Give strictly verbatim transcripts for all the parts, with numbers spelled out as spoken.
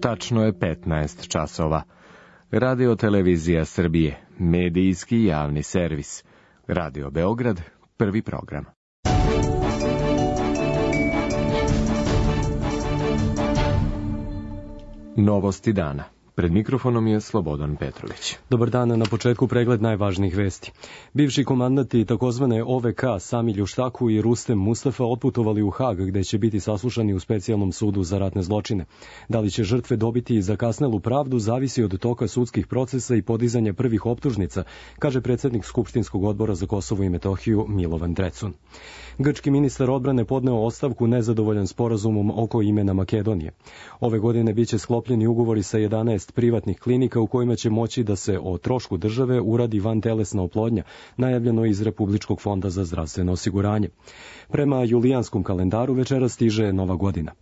Tačno je petnaest časova. Radio Televizija Srbije, medijski javni servis. Radio Beograd, prvi program. Novosti dana. Pred mikrofonom je Slobodan Petrović. Dobar dan, na početku pregled najvažnijih vesti. Bivši komandanti takozvane O V K Sami Ljuštaku i Rustem Mustafa otputovali u Hag, gde će biti saslušani u specijalnom sudu za ratne zločine. Da li će žrtve dobiti zakasnelu pravdu zavisi od toka sudskih procesa i podizanja prvih optužnica, kaže predsjednik Skupštinskog odbora za Kosovo i Metohiju Milovan Drecun. Grčki ministar odbrane podneo ostavku nezadovoljan sporazumom oko imena Makedonije. Ove godine biće sklopljeni ugovori sa jedanaest privatnih klinika u kojima će moći da se o trošku države uradi vantelesna oplodnja, najavljeno iz Republičkog fonda za zdravstveno osiguranje. Prema julijanskom kalendaru večera stiže Nova godina.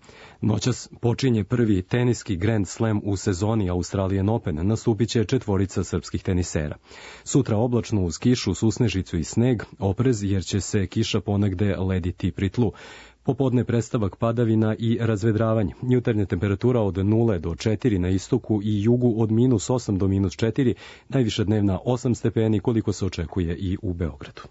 Noćas počinje prvi teniski Grand Slam u sezoni Australian Open, nastupit će četvorica srpskih tenisera. Sutra oblačno uz kišu, susnežicu i sneg, oprez jer će se kiša ponegde lediti pri tlu. Popodne predstavak padavina i razvedravanje. Jutarnja temperatura od nula do četiri na istoku i jugu od minus osam do minus četiri, najviša dnevna osam stepeni koliko se očekuje i u Beogradu.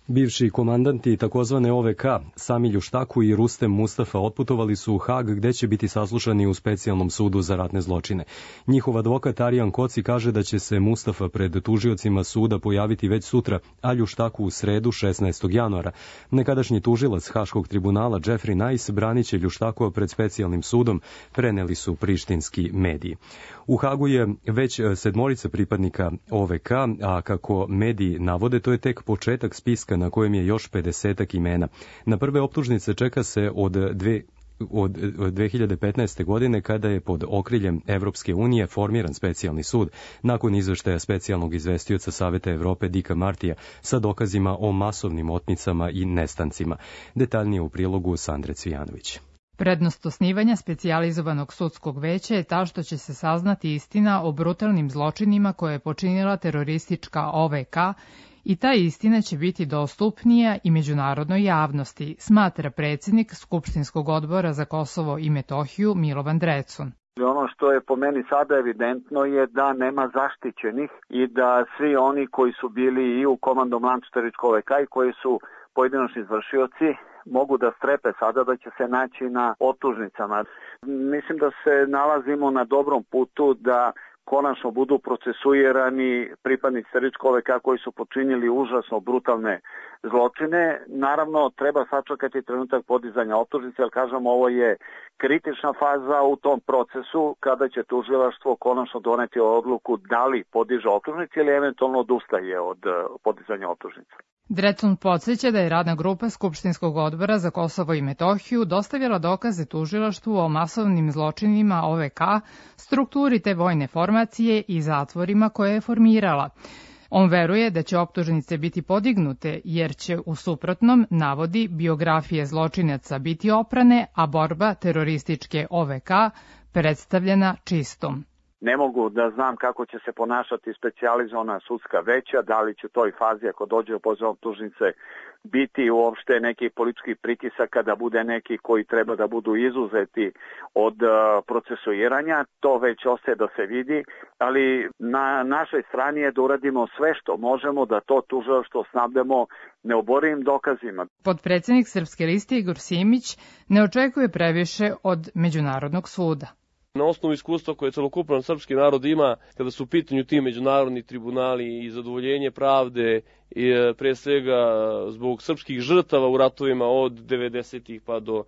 Bivši komandanti takozvane O V K Sami Ljuštaku i Rustem Mustafa otputovali su u Hag gde će biti saslušani u specijalnom sudu za ratne zločine. Njihov advokat Arijan Koci kaže da će se Mustafa pred tužiocima suda pojaviti već sutra, a Ljuštaku u sredu šesnaestog januara. Nekadašnji tužilac Haškog tribunala Jeffrey Nice branit će Ljuštakova pred specijalnim sudom, preneli su prištinski mediji. U Hagu je već sedmorica pripadnika O V K, a kako mediji navode, to je tek početak spiska na kojem je još pedesetak imena. Na prve optužnice čeka se od dve od dve hiljade petnaeste. godine kada je pod okriljem Evropske unije formiran specijalni sud nakon izveštaja specijalnog izvestioca Saveta Evrope Dika Martija sa dokazima o masovnim otmicama i nestancima. Detaljnije u prilogu Sandre Cvijanović. Prednost osnivanja specijalizovanog sudskog veća je ta što će se saznati istina o brutalnim zločinima koje je počinila teroristička O V K i ta istina će biti dostupnija i međunarodnoj javnosti, smatra predsjednik Skupštinskog odbora za Kosovo i Metohiju Milovan Drecun. Ono što je po meni sada evidentno je da nema zaštićenih i da svi oni koji su bili i u komandom lancu terorističkog O V K i koji su pojedinačni izvršioci mogu da strepe sada da će se naći na optužnicama. Mislim da se nalazimo na dobrom putu da konačno budu procesuirani pripadnici terorističkog O V K koji su počinili užasno brutalne zločine. Naravno, treba sačekati trenutak podizanja optužnice, jer kažem, ovo je kritična faza u tom procesu kada će tužilaštvo konačno doneti odluku da li podiže optužnice ili eventualno odustaje od podizanja optužnice. Drecun podsjeća da je radna grupa Skupštinskog odbora za Kosovo i Metohiju dostavila dokaze tužilaštvu o masovnim zločinima O V K, strukturi te vojne formacije i zatvorima koje je formirala. On veruje da će optužnice biti podignute, jer će u suprotnom, navodi, biografije zločinaca biti oprane, a borba terorističke O V K predstavljena čistom. Ne mogu da znam kako će se ponašati specijalizovana sudska veća, da li će u toj fazi, ako dođe do podizanja optužnice, biti uopšte neki politički pritisaka da bude neki koji treba da budu izuzeti od uh, procesuiranja. To već ostaje da se vidi, ali na našoj strani je da uradimo sve što možemo da to tužilaštvo snabdemo neoborivim dokazima. Potpredsjednik Srpske liste Igor Simić ne očekuje previše od Međunarodnog suda. Na osnovu iskustva koje celokupan srpski narod ima kada su u pitanju ti međunarodni tribunali i zadovoljenje pravde i pre svega zbog srpskih žrtava u ratovima od devedesetih pa do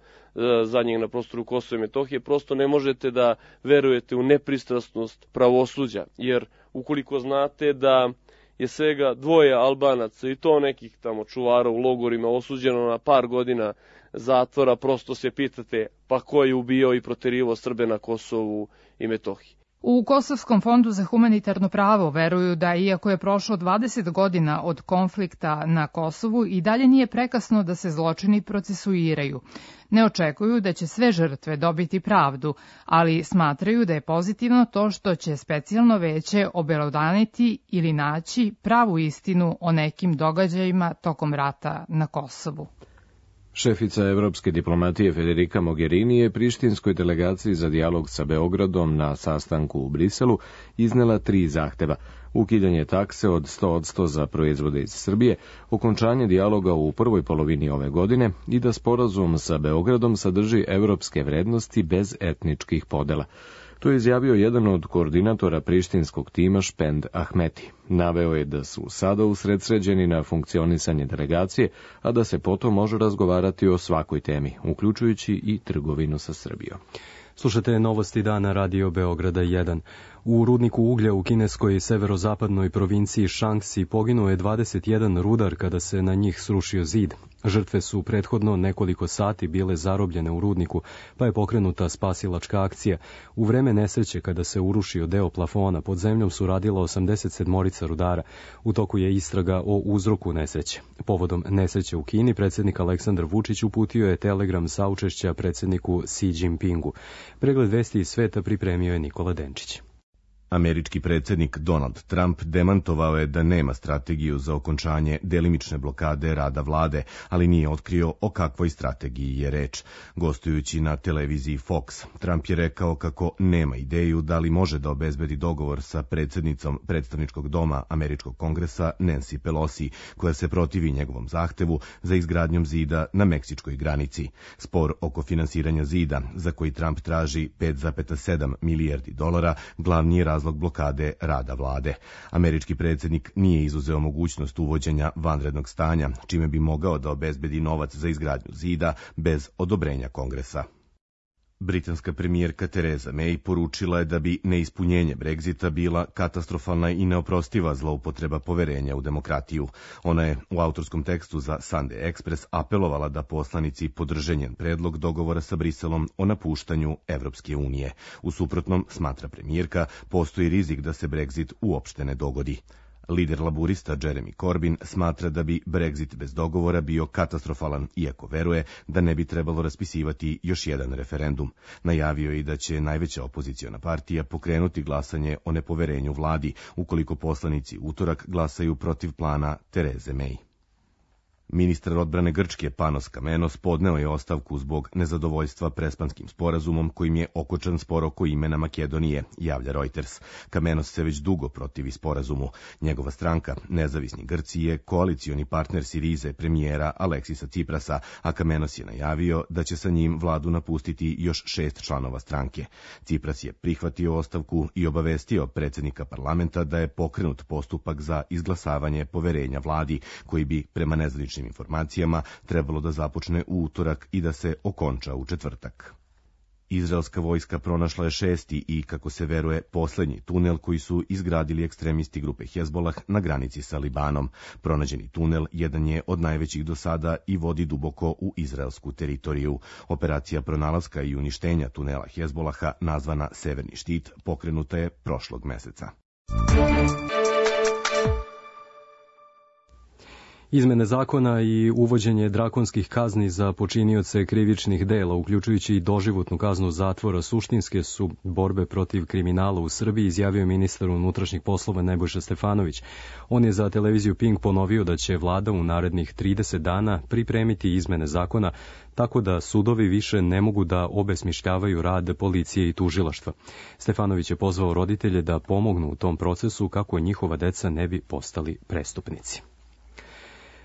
zadnjeg na prostoru Kosova i Metohije, prosto ne možete da verujete u nepristrasnost pravosuđa, jer ukoliko znate da je svega dvoje Albanaca i to nekih tamo čuvara u logorima osuđeno na par godina zatvora, prosto se pitate pa ko je ubijao i proterivao Srbe na Kosovu i Metohiji. U Kosovskom fondu za humanitarno pravo veruju da iako je prošlo dvadeset godina od konflikta na Kosovu i dalje nije prekasno da se zločini procesuiraju. Ne očekuju da će sve žrtve dobiti pravdu, ali smatraju da je pozitivno to što će specijalno veće obelodaniti ili naći pravu istinu o nekim događajima tokom rata na Kosovu. Šefica evropske diplomatije Federica Mogherini je prištinskoj delegaciji za dijalog sa Beogradom na sastanku u Briselu iznela tri zahteva: ukidanje takse od sto posto za proizvode iz Srbije, okončanje dijaloga u prvoj polovini ove godine i da sporazum sa Beogradom sadrži evropske vrednosti bez etničkih podela. To je izjavio jedan od koordinatora prištinskog tima Špend Ahmeti. Naveo je da su sada usredsređeni na funkcionisanje delegacije, a da se potom može razgovarati o svakoj temi, uključujući i trgovinu sa Srbijom. Slušate novosti dana Radio Beograda jedan. U rudniku uglja u kineskoj severozapadnoj provinciji Šanksi poginuo je dvadeset jedan rudar kada se na njih srušio zid. Žrtve su prethodno nekoliko sati bile zarobljene u rudniku, pa je pokrenuta spasilačka akcija. U vreme nesreće, kada se urušio deo plafona, pod zemljom su radila osamdeset sedmorica rudara. U toku je istraga o uzroku nesreće. Povodom nesreće u Kini, predsjednik Aleksandar Vučić uputio je telegram saučešća predsjedniku Xi Jinpingu. Pregled vesti iz sveta pripremio je Nikola Denčić. Američki predsjednik Donald Trump demantovao je da nema strategiju za okončanje delimične blokade rada vlade, ali nije otkrio o kakvoj strategiji je reč. Gostujući na televiziji Fox, Trump je rekao kako nema ideju da li može da obezbedi dogovor sa predsjednicom predstavničkog doma Američkog kongresa Nancy Pelosi, koja se protivi njegovom zahtevu za izgradnjom zida na meksičkoj granici. Spor oko finansiranja zida, za koji Trump traži pet zarez sedam milijardi dolara, glavni je razlog blokade rada vlade. Američki predsjednik nije izuzeo mogućnost uvođenja vanrednog stanja, čime bi mogao da obezbedi novac za izgradnju zida bez odobrenja kongresa. Britanska premijerka Theresa May poručila je da bi neispunjenje Brexita bila katastrofalna i neoprostiva zloupotreba poverenja u demokratiju. Ona je u autorskom tekstu za Sunday Express apelovala da poslanici podrže njen predlog dogovora sa Briselom o napuštanju Evropske unije. U suprotnom, smatra premijerka, postoji rizik da se Brexit uopšte ne dogodi. Lider laburista Jeremy Corbyn smatra da bi Brexit bez dogovora bio katastrofalan, iako veruje da ne bi trebalo raspisivati još jedan referendum. Najavio je i da će najveća opoziciona partija pokrenuti glasanje o nepoverenju vladi, ukoliko poslanici utorak glasaju protiv plana Therese May. Ministar odbrane Grčke Panos Kamenos podneo je ostavku zbog nezadovoljstva Prespanskim sporazumom kojim je okočan spor oko imena Makedonije, javlja Reuters. Kamenos se već dugo protivi sporazumu. Njegova stranka, Nezavisni Grci, je koalicioni partner Sirize premijera Aleksisa Ciprasa, a Kamenos je najavio da će sa njim vladu napustiti još šest članova stranke. Cipras je prihvatio ostavku i obavestio predsjednika parlamenta da je pokrenut postupak za izglasavanje poverenja vladi, koji bi prema nezvaničnim informacijama trebalo da započne u utorak i da se okonča u četvrtak. Izraelska vojska pronašla je šesti i, kako se veruje, poslednji tunel koji su izgradili ekstremisti grupe Hezbolah na granici sa Libanom. Pronađeni tunel jedan je od najvećih do sada i vodi duboko u izraelsku teritoriju. Operacija pronalaska i uništenja tunela Hezbolaha, nazvana Severni štit, pokrenuta je prošlog meseca. Izmene zakona i uvođenje drakonskih kazni za počinioce krivičnih dela, uključujući i doživotnu kaznu zatvora, suštinske su borbe protiv kriminala u Srbiji, izjavio ministar unutrašnjih poslova Nebojša Stefanović. On je za televiziju Pink ponovio da će vlada u narednih trideset dana pripremiti izmene zakona, tako da sudovi više ne mogu da obesmišljavaju rad policije i tužilaštva. Stefanović je pozvao roditelje da pomognu u tom procesu kako njihova deca ne bi postali prestupnici.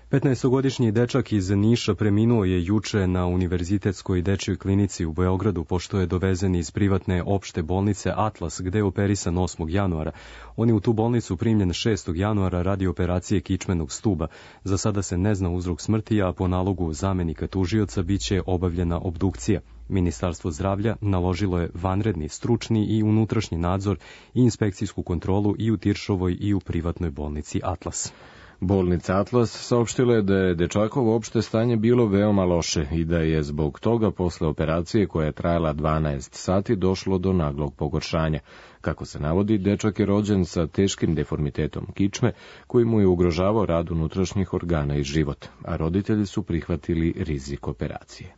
petnaestogodišnji dečak iz Niša preminuo je juče na Univerzitetskoj dečjoj klinici u Beogradu, pošto je dovezen iz privatne opšte bolnice Atlas, gde je operisan osmog januara. On je u tu bolnicu primljen šestog januara radi operacije kičmenog stuba. Za sada se ne zna uzrok smrti, a po nalogu zamenika tužioca biće obavljena obdukcija. Ministarstvo zdravlja naložilo je vanredni, stručni i unutrašnji nadzor i inspekcijsku kontrolu i u Tiršovoj i u privatnoj bolnici Atlas. Bolnica Atlas saopštila je da je dečakovo opšte stanje bilo veoma loše i da je zbog toga posle operacije koja je trajala dvanaest sati došlo do naglog pogoršanja. Kako se navodi, dečak je rođen sa teškim deformitetom kičme koji mu je ugrožavao rad unutrašnjih organa i život, a roditelji su prihvatili rizik operacije.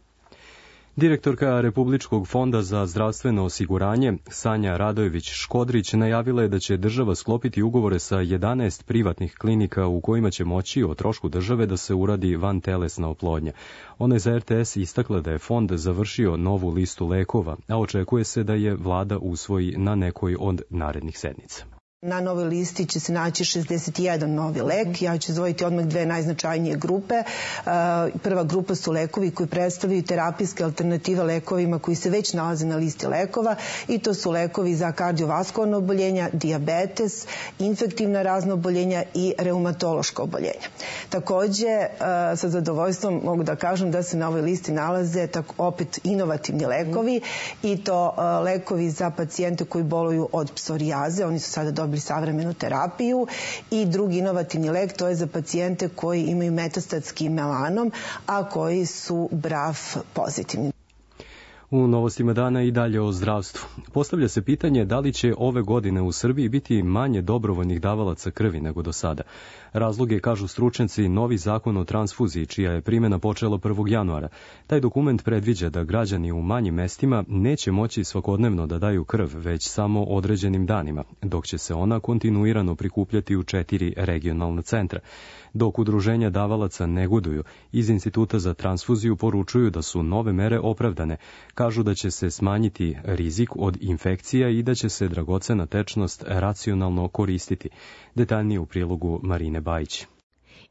Direktorka Republičkog fonda za zdravstveno osiguranje Sanja Radojević-Škodrić najavila je da će država sklopiti ugovore sa jedanaest privatnih klinika u kojima će moći o trošku države da se uradi vantelesna oplodnja. Ona je za R T S istakla da je fond završio novu listu lekova, a očekuje se da je vlada usvoji na nekoj od narednih sednica. Na novoj listi će se naći šezdeset jedan novi lek. Ja ću izdvojiti odmah dve najznačajnije grupe. Prva grupa su lekovi koji predstavljaju terapijske alternative lekovima koji se već nalaze na listi lekova i to su lekovi za kardiovaskularno oboljenja, dijabetes, infektivna razna oboljenja i reumatološka oboljenja. Takođe, sa zadovoljstvom mogu da kažem da se na ovoj listi nalaze opet inovativni lekovi i to lekovi za pacijente koji boluju od psorijaze. Oni su sada dobili savremenu terapiju i drugi inovativni lek, to je za pacijente koji imaju metastatski melanom, a koji su B R A F pozitivni. U novostima dana i dalje o zdravstvu. Postavlja se pitanje da li će ove godine u Srbiji biti manje dobrovoljnih davalaca krvi nego do sada. Razlog je, kažu stručnjaci, novi zakon o transfuziji, čija je primjena počela prvog januara. Taj dokument predviđa da građani u manjim mestima neće moći svakodnevno da daju krv, već samo određenim danima, dok će se ona kontinuirano prikupljati u četiri regionalna centra. Dok udruženja davalaca negoduju, iz Instituta za transfuziju poručuju da su nove mere opravdane. Kažu da će se smanjiti rizik od infekcija i da će se dragocena tečnost racionalno koristiti. Detaljnije u prilogu Marine Bajić.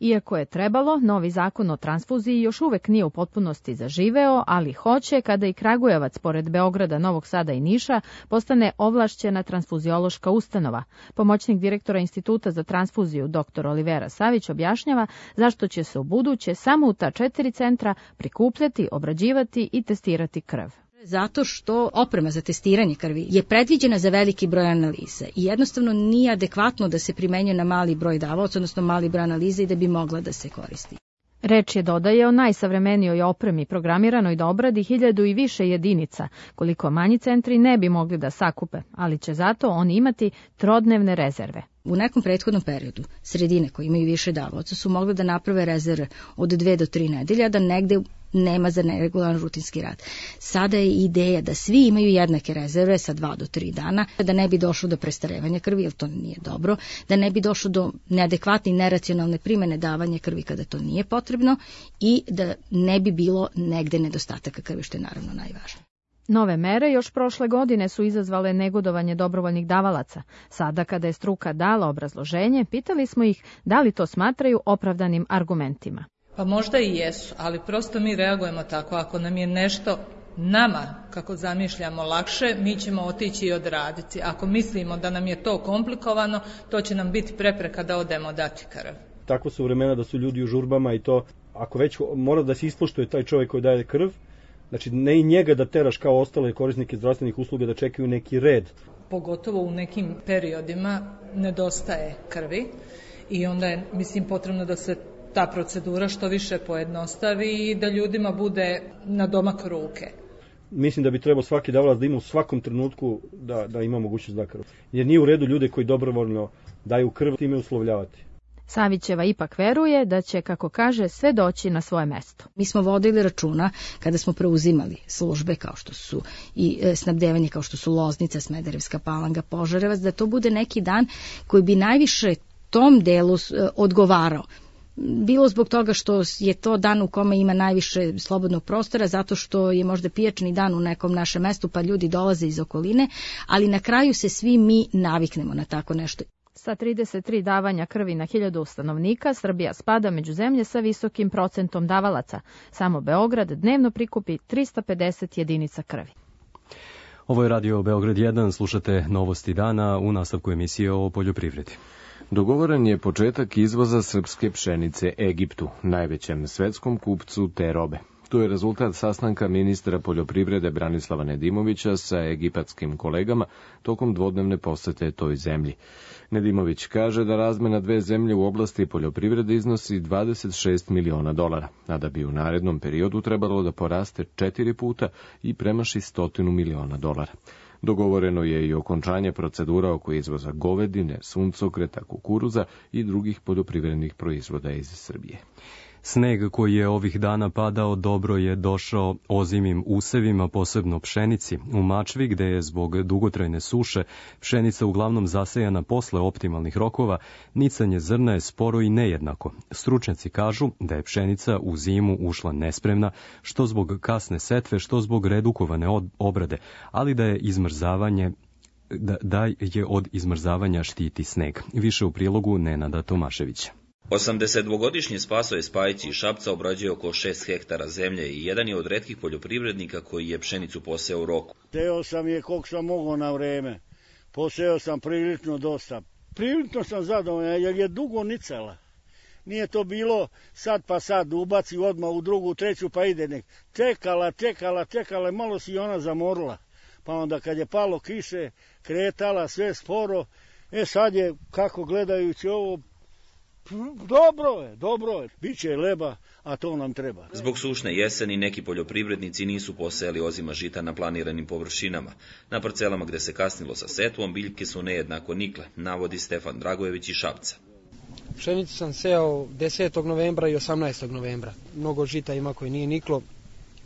Iako je trebalo, novi zakon o transfuziji još uvek nije u potpunosti zaživeo, ali hoće kada i Kragujevac, pored Beograda, Novog Sada i Niša, postane ovlašćena transfuziološka ustanova. Pomoćnik direktora Instituta za transfuziju dr Olivera Savić objašnjava zašto će se u buduće samo u ta četiri centra prikupljati, obrađivati i testirati krv. Zato što oprema za testiranje krvi je predviđena za veliki broj analiza i jednostavno nije adekvatno da se primenjuje na mali broj davaoca, odnosno mali broj analiza i da bi mogla da se koristi. Reč je, dodaje, o najsavremenijoj opremi programiranoj da obradi hiljadu i više jedinica, koliko manji centri ne bi mogli da sakupe, ali će zato oni imati trodnevne rezerve. U nekom prethodnom periodu sredine koje imaju više davaoca su mogli da naprave rezerve od dve do tri nedelja, da negde nema za neregularan rutinski rad. Sada je ideja da svi imaju jednake rezerve sa dva do tri dana, da ne bi došlo do prestarevanja krvi, jer to nije dobro, da ne bi došlo do neadekvatne i neracionalne primene davanja krvi kada to nije potrebno i da ne bi bilo negde nedostataka krvi, što je naravno najvažnije. Nove mere još prošle godine su izazvale negodovanje dobrovoljnih davalaca. Sada, kada je struka dala obrazloženje, pitali smo ih da li to smatraju opravdanim argumentima. Pa možda i jesu, ali prosto mi reagujemo tako. Ako nam je nešto nama, kako zamišljamo, lakše, mi ćemo otići i odraditi. Ako mislimo da nam je to komplikovano, to će nam biti prepreka da odemo dati krv. Tako su vremena da su ljudi u žurbama i to, ako već mora da se ispoštuje taj čovjek koji daje krv, znači ne i njega da teraš kao ostale korisnike zdravstvenih usluga da čekaju neki red. Pogotovo u nekim periodima nedostaje krvi i onda je, mislim, potrebno da se ta procedura što više pojednostavi i da ljudima bude na domak ruke. Mislim da bi trebao svaki davalac da ima u svakom trenutku da, da ima mogućnost da krv. Jer nije u redu ljude koji dobrovoljno daju krv time uslovljavati. Savićeva ipak veruje da će, kako kaže, sve doći na svoje mesto. Mi smo vodili računa kada smo preuzimali službe kao što su i e, snabdevanje kao što su Loznica, Smederevska Palanka, Požarevac, da to bude neki dan koji bi najviše tom delu e, odgovarao. Bilo zbog toga što je to dan u kome ima najviše slobodnog prostora, zato što je možda pijačni dan u nekom našem mestu pa ljudi dolaze iz okoline, ali na kraju se svi mi naviknemo na tako nešto. Sa trideset tri davanja krvi na hiljadu stanovnika, Srbija spada među zemlje sa visokim procentom davalaca. Samo Beograd dnevno prikupi trista pedeset jedinica krvi. Ovo je Radio Beograd jedan, slušate novosti dana u nastavku emisije o poljoprivredi. Dogovoren je početak izvoza srpske pšenice Egiptu, najvećem svetskom kupcu te robe. To je rezultat sastanka ministra poljoprivrede Branislava Nedimovića sa egipatskim kolegama tokom dvodnevne posete toj zemlji. Nedimović kaže da razmena dve zemlje u oblasti poljoprivrede iznosi dvadeset šest miliona dolara, a da bi u narednom periodu trebalo da poraste četiri puta i premaši stotinu miliona dolara. Dogovoreno je i okončanje procedura oko izvoza govedine, suncokreta, kukuruza i drugih poljoprivrednih proizvoda iz Srbije. Sneg koji je ovih dana padao dobro je došao ozimim usevima, posebno pšenici. U Mačvi, gde je zbog dugotrajne suše pšenica uglavnom zasejana posle optimalnih rokova, nicanje zrna je sporo i nejednako. Stručnjaci kažu da je pšenica u zimu ušla nespremna, što zbog kasne setve, što zbog redukovane obrade, ali da je izmrzavanje da, da je od izmrzavanja štiti sneg. Više u prilogu Nenada Tomaševića. osamdesetdvogodišnji Spasoje Spajić iz Šapca obrađuje oko šest hektara zemlje i jedan je od retkih poljoprivrednika koji je pšenicu poseo u roku. Seo sam je koliko sam mogao na vreme. Poseo sam prilično dosta. Prilično sam zadovoljan jer je dugo nicala. Nije to bilo sad pa sad ubaci odmah u drugu, treću pa ide nek. Čekala, čekala, čekala, malo si ona zamorila. Pa onda kad je palo kiše, kretala sve sporo. E sad je, kako gledajući ovo, dobro je, dobro je. Biće leba, a to nam treba. Zbog sušne jeseni neki poljoprivrednici nisu posejali ozima žita na planiranim površinama. Na parcelama gde se kasnilo sa setvom, biljke su nejednako nikle, navodi Stefan Dragojević iz Šapca. Pšenicu sam sejao desetog novembra i osamnaestog novembra. Mnogo žita ima koje nije niklo,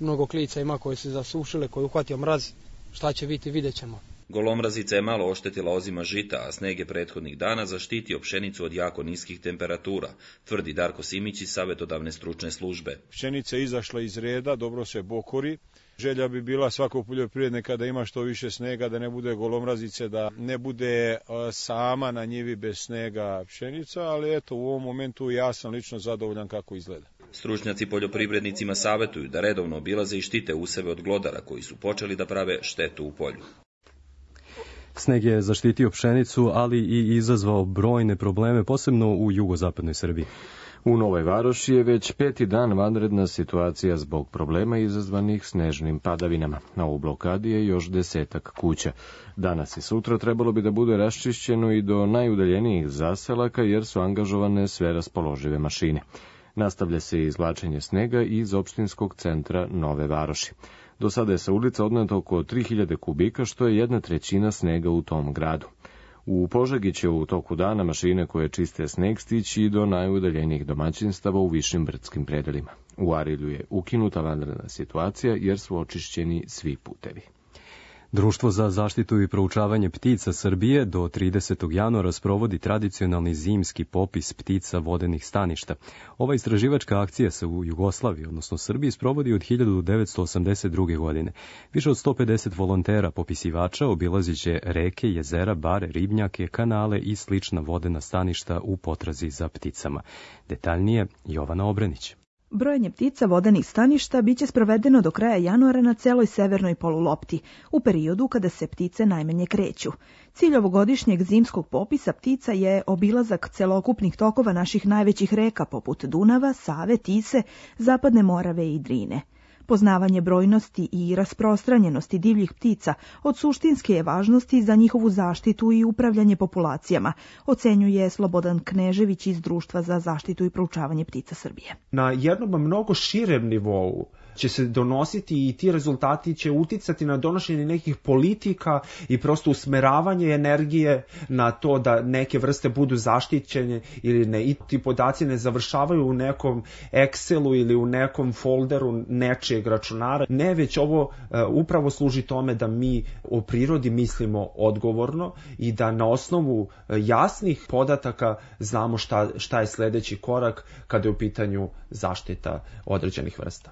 mnogo klica ima koje se zasušile, koje uhvatio mraz. Šta će biti, vidjet ćemo. Golomrazica je malo oštetila ozima žita, a sneg je prethodnih dana zaštitio pšenicu od jako niskih temperatura, tvrdi Darko Simić iz Savetodavne stručne službe. Pšenica je izašla iz reda, dobro se bokori. Želja bi bila svakog poljoprivrednika da ima što više snega, da ne bude golomrazice, da ne bude sama na njivi bez snega pšenica, ali eto, u ovom momentu ja sam lično zadovoljan kako izgleda. Stručnjaci poljoprivrednicima savetuju da redovno obilaze i štite useve od glodara koji su počeli da prave štetu u polju. Sneg je zaštitio pšenicu, ali i izazvao brojne probleme, posebno u jugozapadnoj Srbiji. U Novoj Varoši je već peti dan vanredna situacija zbog problema izazvanih snežnim padavinama. Na u blokadi je još desetak kuća. Danas i sutra trebalo bi da bude raščišćeno i do najudaljenijih zaselaka jer su angažovane sve raspoložive mašine. Nastavlja se izvlačenje snega iz opštinskog centra Nove Varoši. Do sada je sa ulica odneto oko tri hiljade kubika, što je jedna trećina snega u tom gradu. U Požegi će u toku dana mašine koje čiste sneg stići do najudaljenijih domaćinstava u višim brdskim predelima. U Arilju je ukinuta vanredna situacija jer su očišćeni svi putevi. Društvo za zaštitu i proučavanje ptica Srbije do tridesetog januara sprovodi tradicionalni zimski popis ptica vodenih staništa. Ova istraživačka akcija se u Jugoslaviji, odnosno Srbiji, sprovodi od hiljadu devetsto osamdeset druge. godine. Više od sto pedeset volontera popisivača obilaziće reke, jezera, bare, ribnjake, kanale i slična vodena staništa u potrazi za pticama. Detaljnije Jovana Obrenić. Brojanje ptica vodenih staništa biće sprovedeno do kraja januara na celoj severnoj polulopti, u periodu kada se ptice najmanje kreću. Cilj ovogodišnjeg zimskog popisa ptica je obilazak celokupnih tokova naših najvećih reka poput Dunava, Save, Tise, Zapadne Morave i Drine. Poznavanje brojnosti i rasprostranjenosti divljih ptica od suštinske je važnosti za njihovu zaštitu i upravljanje populacijama, ocenjuje Slobodan Knežević iz Društva za zaštitu i proučavanje ptica Srbije. Na jednom mnogo širem nivou će se donositi i ti rezultati će uticati na donošenje nekih politika i prosto usmeravanje energije na to da neke vrste budu zaštićene ili ne. I ti podaci ne završavaju u nekom Excelu ili u nekom folderu nečijeg računara. Ne, već ovo uh, upravo služi tome da mi o prirodi mislimo odgovorno i da na osnovu uh, jasnih podataka znamo šta, šta je sledeći korak kada je u pitanju zaštita određenih vrsta.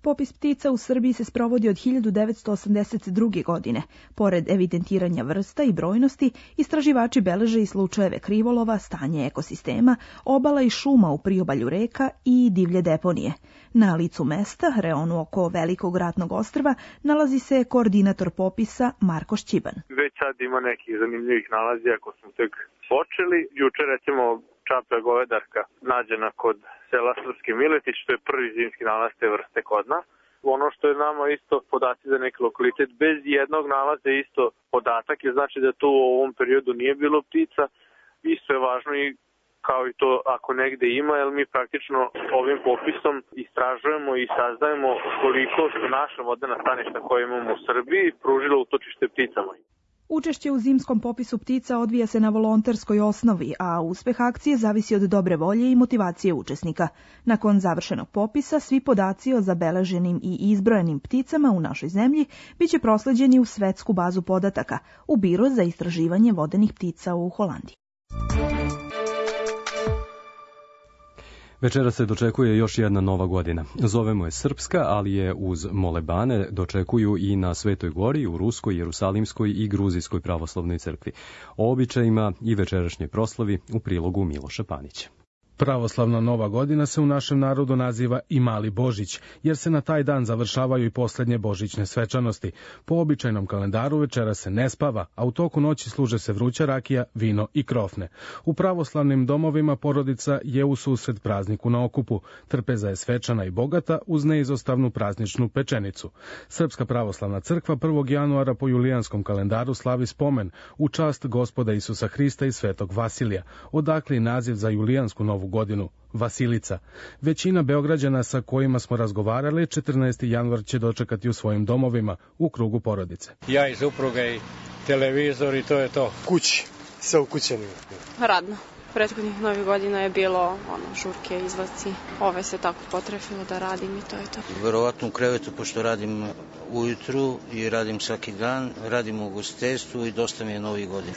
Popis ptica u Srbiji se sprovodi od hiljadu devetsto osamdeset druge. godine. Pored evidentiranja vrsta i brojnosti, istraživači beleže i slučajeve krivolova, stanje ekosistema, obala i šuma u priobalju reka i divlje deponije. Na licu mesta, reonu oko Velikog ratnog ostrva, nalazi se koordinator popisa Marko Šćiban. Već sad ima nekih zanimljivih nalazi ako smo tek počeli. Juče recimo čaplja govedarka nađena kod sela Srpski Miletić, što je prvi zimski nalaz te vrste kod nas. Ono što je nama isto podaci za neki lokalitet, bez jednog nalaza isto podatak, je znači da tu u ovom periodu nije bilo ptica. Isto je važno i kao i to ako negde ima, jer mi praktično ovim popisom istražujemo i saznajemo koliko su naša vodena staništa koje imamo u Srbiji pružila utočište pticama. Učešće u zimskom popisu ptica odvija se na volonterskoj osnovi, a uspeh akcije zavisi od dobre volje i motivacije učesnika. Nakon završenog popisa, svi podaci o zabeleženim i izbrojenim pticama u našoj zemlji biće prosleđeni u svetsku bazu podataka, u Biro za istraživanje vodenih ptica u Holandiji. Večera se dočekuje još jedna nova godina. Zovemo je srpska, ali je uz molebane dočekuju i na Svetoj Gori, u Ruskoj, Jerusalimskoj i Gruzijskoj pravoslavnoj crkvi. O običajima i večerašnjoj proslavi u prilogu Miloša Panića. Pravoslavna nova godina se u našem narodu naziva i Mali Božić, jer se na taj dan završavaju i poslednje božićne svečanosti. Po običajnom kalendaru večera se ne spava, a u toku noći služe se vruća rakija, vino i krofne. U pravoslavnim domovima porodica je u susret prazniku na okupu. Trpeza je svečana i bogata uz neizostavnu prazničnu pečenicu. Srpska pravoslavna crkva prvog januara po julijanskom kalendaru slavi spomen u čast Gospoda Isusa Hrista i svetog Vasilija, odakle i naziv za julijansku novu godinu, Vasilica. Većina Beograđana sa kojima smo razgovarali četrnaesti januar će dočekati u svojim domovima u krugu porodice. Ja i supruga i televizor i to je to. Kući, sa ukućenim. Radno. Prethodnih novih godina je bilo ono, žurke, izlasci. Ove se tako potrefilo da radim i to je to. Verovatno u krevetu, pošto radim ujutru i radim svaki dan, radim u ugostiteljstvu i dosta mi je novih godina.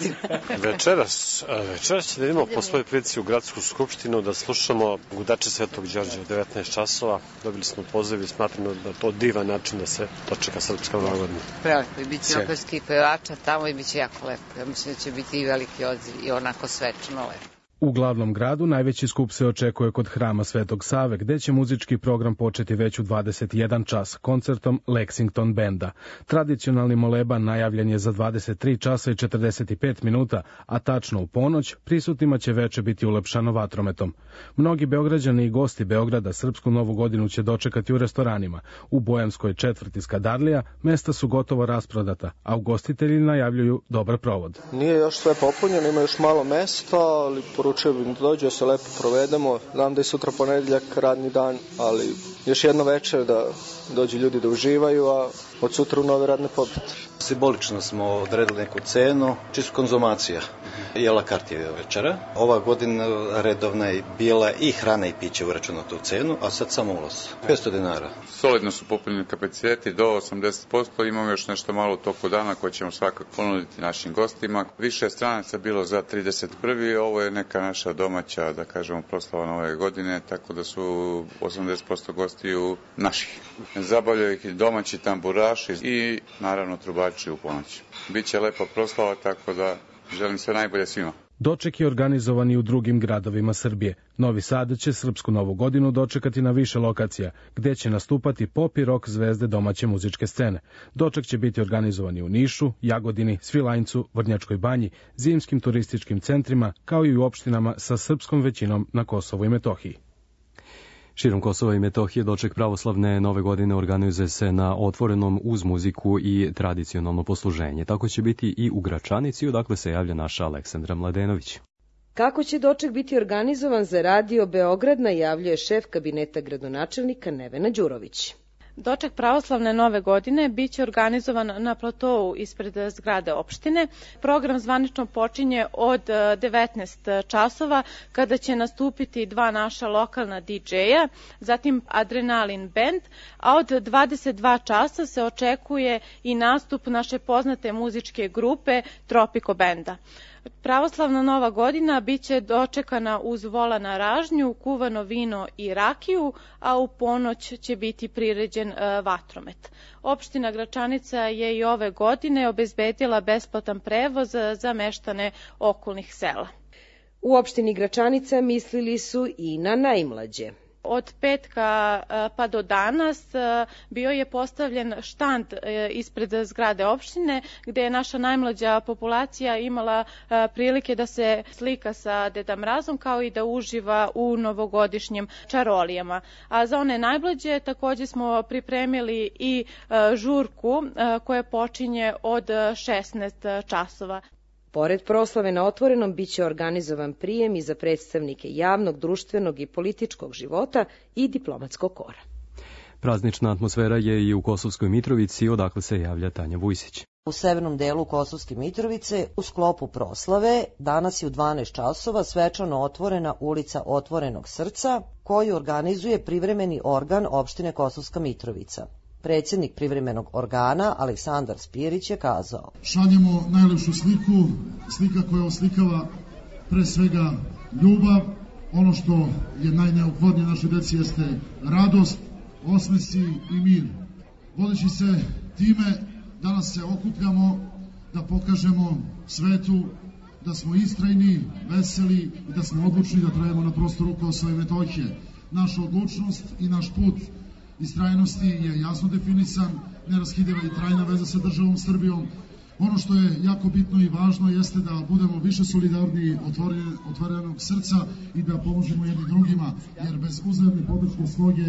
Večeras, večeras će da idemo po svojoj prilici u gradsku skupštinu da slušamo Gudače Svetog Đorđa u devetnaest časova. Dobili smo poziv i smatramo da to divan način da se dočeka srpska nova godina. Prelepo, i bit će operskih pevača tamo i bit će jako lepo. Ja mislim da će biti i veliki odziv i onako svečano lepo. U glavnom gradu najveći skup se očekuje kod Hrama Svetog Save, gde će muzički program početi već u dvadeset jedan čas koncertom Lexington Benda. Tradicionalni moleban najavljen je za dvadeset tri časa i četrdeset pet minuta, a tačno u ponoć prisutnima će veče biti ulepšano vatrometom. Mnogi Beograđani i gosti Beograda srpsku novu godinu će dočekati u restoranima. U Bojamskoj četvrti Skadarlija mesta su gotovo rasprodata, a ugostitelji najavljuju dobar provod. Nije još sve popunjeno, ima još malo mesta, ali poručujem da dođe, da se lepo provedemo. Znam da je sutra ponedeljak, radni dan, ali još jedno večer da dođu ljudi da uživaju, a od sutra u nove radne pobjede. Simbolično smo odredili neku cenu, čisto konzumacija. Jela kart je večera. Ova godina redovna je bila i hrana i piće uračunato u cenu, a sad samo ulaz. petsto dinara. Solidno su popunjeni kapaciteti do osamdeset posto, imamo još nešto malo u toku dana koje ćemo svakako ponuditi našim gostima. Više je stranaca bilo za trideset prvi ovo je neka naša domaća, da kažemo, proslava nove godine, tako da su osamdeset posto gostiju naših. Zabavljaju ih i domaći tamburaši i naravno trubači u ponoći. Biće lepa proslava, tako da želim sve najbolje svima. Doček je organizovan i u drugim gradovima Srbije. Novi Sad će srpsku novu godinu dočekati na više lokacija, gde će nastupati pop i rock zvezde domaće muzičke scene. Doček će biti organizovan i u Nišu, Jagodini, Svilajncu, Vrnjačkoj banji, zimskim turističkim centrima, kao i u opštinama sa srpskom većinom na Kosovu i Metohiji. Širom Kosova i Metohije doček pravoslavne nove godine organizuje se na otvorenom uz muziku i tradicionalno posluženje. Tako će biti i u Gračanici, odakle se javlja naša Aleksandra Mladenović. Kako će doček biti organizovan za Radio Beograd, najavljuje šef kabineta gradonačelnika Nevena Đurović. Doček pravoslavne nove godine biće organizovan na platovu ispred zgrade opštine. Program zvanično počinje od devetnaest časova kada će nastupiti dva naša lokalna didžeja, zatim Adrenalin Band, a od dvadeset dva časa se očekuje i nastup naše poznate muzičke grupe Tropico Benda. Pravoslavna nova godina biće dočekana uz vola na ražnju, kuvano vino i rakiju, a u ponoć će biti priređen e, vatromet. Opština Gračanica je i ove godine obezbedila besplatan prevoz za meštane okolnih sela. U opštini Gračanica mislili su i na najmlađe. Od petka pa do danas bio je postavljen štand ispred zgrade opštine gde je naša najmlađa populacija imala prilike da se slika sa Deda Mrazom kao i da uživa u novogodišnjim čarolijama. A za one najmlađe takođe smo pripremili i žurku koja počinje od šesnaest časova. Pored proslave na otvorenom biće organizovan prijem i za predstavnike javnog, društvenog i političkog života i diplomatskog kora. Praznična atmosfera je i u Kosovskoj Mitrovici, odakle se javlja Tanja Vujsić. U severnom delu Kosovske Mitrovice u sklopu proslave danas je u dvanaest časova svečano otvorena ulica Otvorenog srca koju organizuje privremeni organ opštine Kosovska Mitrovica. Predsjednik privremenog organa Aleksandar Spirić je kazao: Šaljemo najlepšu sliku, slika koja oslikava pre svega ljubav, ono što je najneophodnije našoj deci jeste radost, osmesi i mir. Vodeći se time, danas se okupljamo da pokažemo svetu da smo istrajni, veseli i da smo odlučni da trajemo na prostoru Kosova i Metohije. Naša odlučnost i naš put istrajnosti je jasno definisan, neraskidiva i trajna veza sa državom Srbijom. Ono što je jako bitno i važno jeste da budemo više solidarni, otvorenog srca i da pomožemo jedni drugima, jer bez uzajamne podrške sloge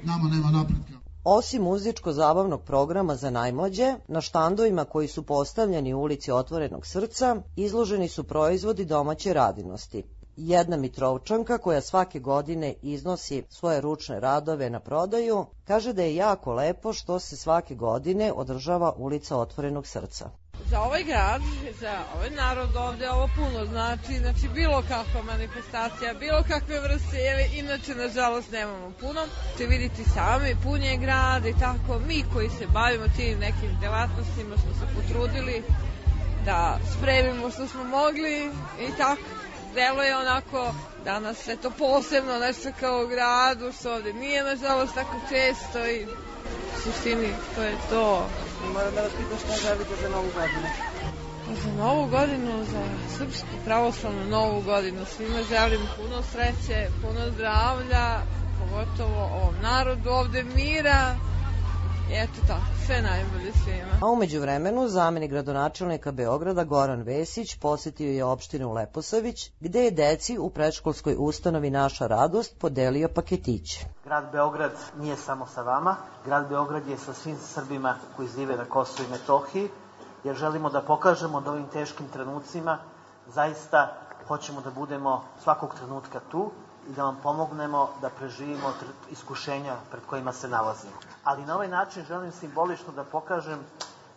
nama nema napretka. Osim muzičko-zabavnog programa za najmlađe, na štandovima koji su postavljeni u ulici Otvorenog srca izloženi su proizvodi domaće radinosti. Jedna Mitrovčanka koja svake godine iznosi svoje ručne radove na prodaju, kaže da je jako lepo što se svake godine održava ulica Otvorenog srca. Za ovaj grad, za ovaj narod ovde ovo puno znači, znači bilo kakva manifestacija, bilo kakve vrste, jer inače nažalost nemamo puno. Te vidite sami, pun je grad i tako, mi koji se bavimo tim nekim delatnostima smo se potrudili da spremimo što smo mogli i tako. Delo je onako danas eto posebno nešto kao u gradu, što ovde nije nažalost tako često i u suštini to je to. Moram da vas pitam šta želite za novu godinu? Za novu godinu, za srpsku pravoslavnu novu godinu svima želim puno sreće, puno zdravlja, pogotovo ovom narodu ovde mira. I eto tako, sve najbolje svima. A umeđu vremenu, zamenik gradonačelnika Beograda Goran Vesić posjetio je opštinu Leposavić, gde je deci u predškolskoj ustanovi Naša radost podelio paketiće. Grad Beograd nije samo sa vama, grad Beograd je sa svim Srbima koji žive na Kosovu i Metohiji, jer želimo da pokažemo da ovim teškim trenucima zaista hoćemo da budemo svakog trenutka tu i da vam pomognemo da preživimo iskušenja pred kojima se nalazimo. Ali na ovaj način želim simbolično da pokažem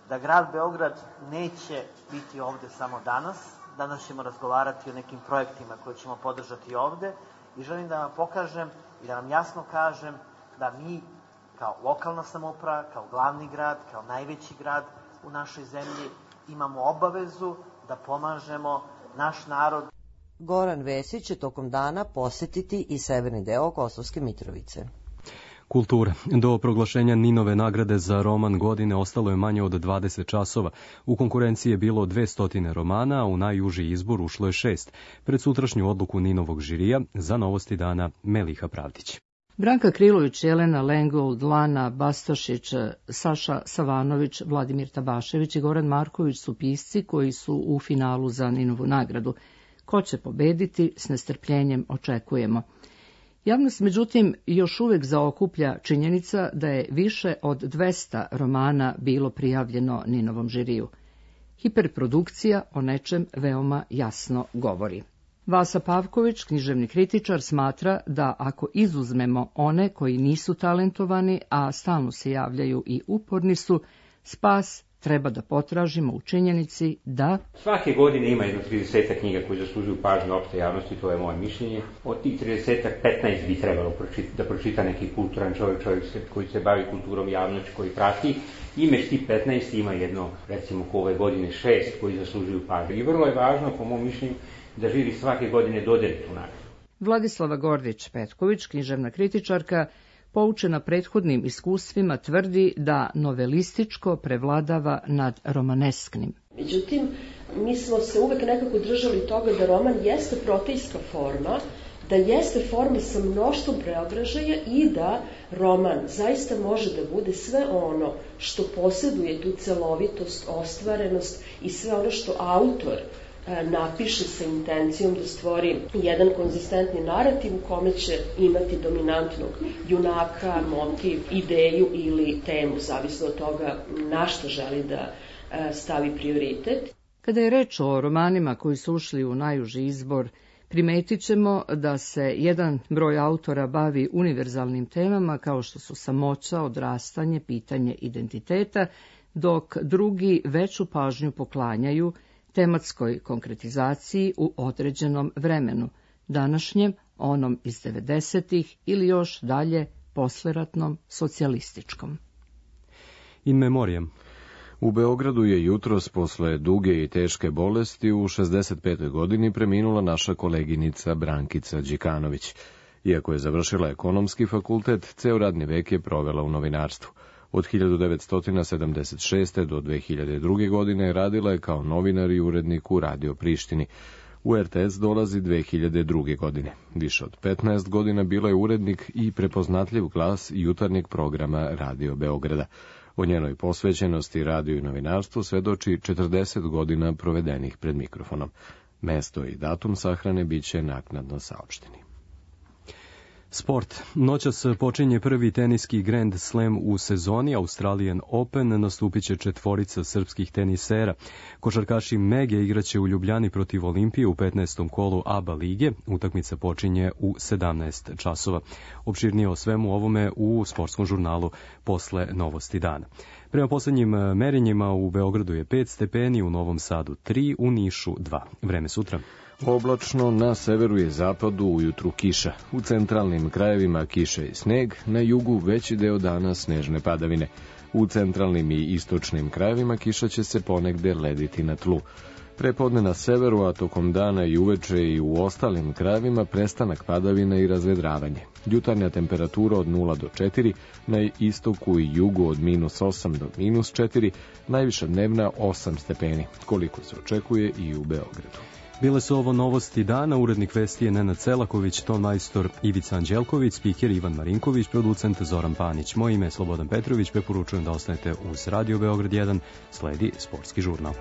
da grad Beograd neće biti ovde samo danas. Danas ćemo razgovarati o nekim projektima koje ćemo podržati ovde i želim da vam pokažem i da vam jasno kažem da mi kao lokalna samouprava, kao glavni grad, kao najveći grad u našoj zemlji imamo obavezu da pomažemo naš narod. Goran Vesić će tokom dana posjetiti i severni deo Kosovske Mitrovice. Kultura. Do proglašenja Ninove nagrade za roman godine ostalo je manje od dvadeset časova. U konkurenciji je bilo dvesta romana, a u najuži izbor ušlo je šest. Pred sutrašnju odluku Ninovog žirija za Novosti dana Meliha Pravdić. Branka Krilović, Jelena Lengold, Lana Bastašić, Saša Savanović, Vladimir Tabašević i Goran Marković su pisci koji su u finalu za Ninovu nagradu. Ko će pobediti, s nestrpljenjem očekujemo. Javnost, međutim, još uvek zaokuplja činjenica da je više od dvesta romana bilo prijavljeno Ninovom žiriju. Hiperprodukcija o nečem veoma jasno govori. Vasa Pavković, književni kritičar, smatra da ako izuzmemo one koji nisu talentovani, a stalno se javljaju i uporni su, spas treba da potražimo u činjenici da svake godine ima jedno tridesetak knjiga koji zaslužuju pažnju opšte javnosti, to je moje mišljenje. Od tih tridesetak, petnaest bi trebalo pročita, da pročita neki kulturan čovjek, čovjek koji se bavi kulturom, javnošću, koji prati. Imeš ti petnaest, ima jedno, recimo ko ove godine šest koji zaslužuju pažnju. I vrlo je važno, po mom mišljenju, da žiri svake godine dodeli tu nagradu. Vladislava Gordić-Petković, književna kritičarka, poučena prethodnim iskustvima, tvrdi da novelističko prevladava nad romanesknim. Međutim, mi smo se uvek nekako držali toga da roman jeste protejska forma, da jeste forma sa mnoštvom preobražaja i da roman zaista može da bude sve ono što posjeduje tu celovitost, ostvarenost i sve ono što autor napiše sa intencijom da stvori jedan konzistentni narativ u kome će imati dominantnog junaka, motiv, ideju ili temu, zavisno od toga na što želi da stavi prioritet. Kada je reč o romanima koji su ušli u najuži izbor, primetit ćemo da se jedan broj autora bavi univerzalnim temama kao što su samoća, odrastanje, pitanje identiteta, dok drugi veću pažnju poklanjaju tematskoj konkretizaciji u određenom vremenu, današnjem, onom iz devedesetih ili još dalje posleratnom socijalističkom. In memoriam. U Beogradu je jutros posle duge i teške bolesti u šezdeset petoj godini preminula naša koleginica Brankica Đikanović. Iako je završila ekonomski fakultet, ceo radni vek je provela u novinarstvu. Od hiljadu devetsto sedamdeset šeste. do dve hiljade druge. godine radila je kao novinar i urednik u Radio Prištini. U er te es dolazi dve hiljade druge. godine. Više od petnaest godina bila je urednik i prepoznatljiv glas jutarnjeg programa Radio Beograda. O njenoj posvećenosti radiju i novinarstvu svedoči četrdeset godina provedenih pred mikrofonom. Mesto i datum sahrane biće naknadno saopšteni. Sport. Noćas počinje prvi teniski Grand Slam u sezoni. Australian Open nastupit će četvorica srpskih tenisera. Košarkaši Mege igraće u Ljubljani protiv Olimpije u petnaestom kolu A B A lige. Utakmica počinje u sedamnaest časova. Opširnije o svemu ovome u sportskom žurnalu posle novosti dana. Prema poslednjim merenjima u Beogradu je pet stepeni, u Novom Sadu tri, u Nišu dva. Vreme sutra. Oblačno, na severu i zapadu ujutru kiša. U centralnim krajevima kiše i sneg, na jugu veći deo dana snežne padavine. U centralnim i istočnim krajevima kiša će se ponegde lediti na tlu. Prepodne na severu, a tokom dana i uveče i u ostalim krajevima prestanak padavina i razvedravanje. Jutarnja temperatura od nula do četiri, na istoku i jugu od minus osam do minus četiri, najviša dnevna osam stepeni, koliko se očekuje i u Beogradu. Bile su ovo novosti dana, urednik vesti je Nenad Celaković, ton majstor Ivica Anđelković, spiker Ivan Marinković, producent Zoran Panić. Moje ime je Slobodan Petrović, preporučujem da ostanete uz Radio Beograd jedan, sledi sportski žurnal.